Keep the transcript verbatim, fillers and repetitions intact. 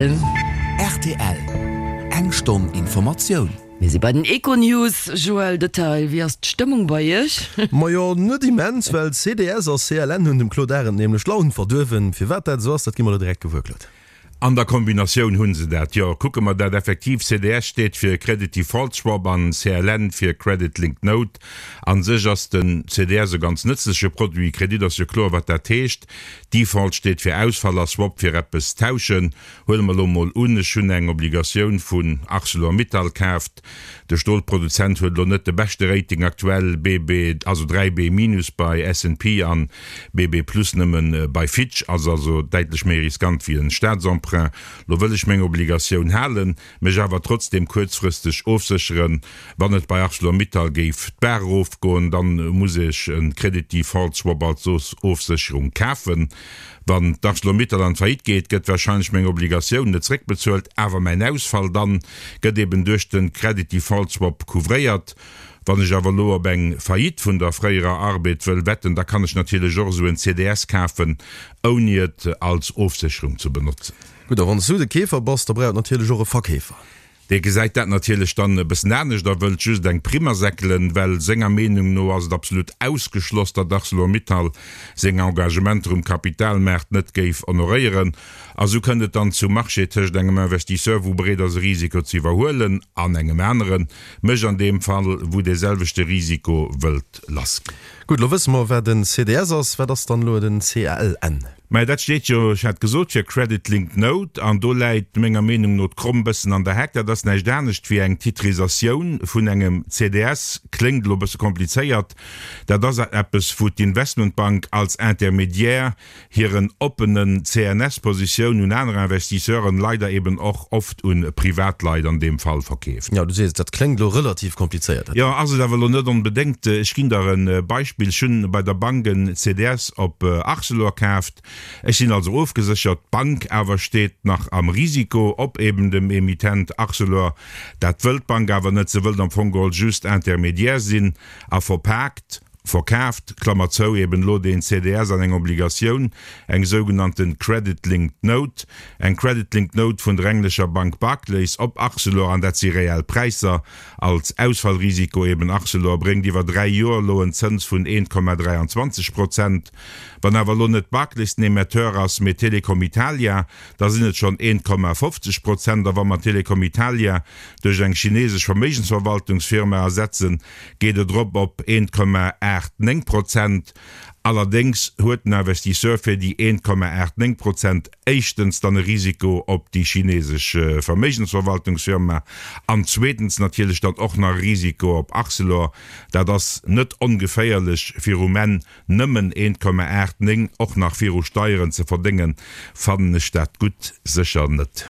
Rtl, Eng Stonn Informatioun. Mir si bei den Econews. Joël Detail, wéi ass d'Stëmmung bei Iech? Majo, net immens, well C D S a C L N hunn dem Claude Arend nämlech d'Laun verduerwen. Firwat dat esou ass, dat gi mer elo direkt gewuer, Claude. An der Kombinatioun hu se dat, jo. Kucke mer dat effektiv, C D S steet fir Credit Default Swap an C L N fir Credit Linked Note. A sech ass den C D S e ganz nëtzleche Produit. Kredit ass jo kloer, wat dat heescht. Default steet fir Ausfall a Swap fir eppes tauschen. Huele mer elo mol un, ech hunn eng Obligatioun vun Arcelor-Mittal kaaft. De Stolproduzent huet elo net de beschte Rating aktuell, B B, also dräi B minus bei S and P an B B plus nëmme bei Fitch, ass also däitlech méi riskant wéi en Staatsemprunt. Lo wëll ech meng Obligatioun halen, mech awer trotzdeem kuerzfristeg ofsécheren, wann et bei Arcelor-Mittal géif d'Baach erofgoen, dann muss ech e Credit Default Swap als Ofsécherung kafen. Wann d'Arcelor-Mittal an d'Faillite geet, gëtt warscheinlech meng Obligatioun net zréckbezuelt, awer mäin Ausfall dann gëtt eben duerch de Credit Default Swap couvréiert. Wann ech awer elo op eng Faillite vun der fréierer Arbed wëll wetten, da kann ech natierlech och esou en C D S kafen, ouni et als Ofsécherung ze benotzen. Gutt, a wann s du de Keefer bass, da brauch et natierlech och e Verkeefer. Dee gesäit dat natierlech dann e bëssen anescht a wëllt just eng Primm asäckelen, well senger Meenung no ass et absolut ausgeschloss, datt Arcelor-Mittal seng Engagementer um Kapitalmaart net géif honoréieren. A sou kënnt et dann zum Marché tëscht engem Investisseur, wou bereet ass e Risiko ze iwwerhuelen, an engem aneren, mech an deem Fall, wou dee selwechte Risiko wëllt lass ginn. Gutt, elo wësse mer, wat en C D S ass. Wat ass dann elo den C L N? Mä dat steet jo, ech hat gesot, fir Credit Linked Note, an do läit menger Meenung no d'Kromm bëssen an der Heck. Dat ass näischt anescht wéi eng Titrisatioun vun engem C D S. Kléngt elo bësse komplizéiert. Dat ass eppes, wou d'Investmentbank als Intermédiaire hiren oppenen C N S-Positioun un aner Investisseuren, leider eben och oft un Privatleit an deem Fall, verkeeft. Jo, du sees et, dat kléngt elo relativ komplizéiert. Jo, ass et awer elo net onbedéngt. Ech ginn der e Beispill, Ech hunn bei der Bank en C D S op Arcelor kaaft. Ech sinn also ofgeséchert, d'Bank awer steet nach am Risiko op eben dem Emittent Arcelor. Dat wëllt d'Bank awer net, se wëllt am Fong geholl just Intermédiaire sinn a verpaakt, verkaaft, Klammer zou, eben elo deen C D S an eng Obligatioun, eng sougenannten Credit Linked Note. Eng Credit Linked Note vun der englescher Bank Barclays op Arcelor, an dat si reell Präisser, als Ausfallrisiko eben Arcelor, bréngt iwwer dräi Joer elo en Zëns vun eent Komma dräianzwanzeg Prozent. Wann awer elo net Barclays den Emetteur ass, mee Telecom Italia, da sinn et schonn eent Komma fofzeg Prozent. A wa mer Telecom Italia duerch eng chinesesch Verméigensverwaltungsfirma ersetzen, geet et erop op eent Komma aacht néng Prozent. Allerdéngs huet den Investisseur fir déi eent Komma aacht néng Prozent éischtens dann e Risiko op déi chinesesch Verméigensverwaltungsfirma an zweetens natierlech dann och nach e Risiko op Arcelor. Dat ass net ongeféierlech, fir um Enn nëmmen eent Komma aacht néng och nach viru Steieren ze verdéngen, fannen ech dat gutt sécher net.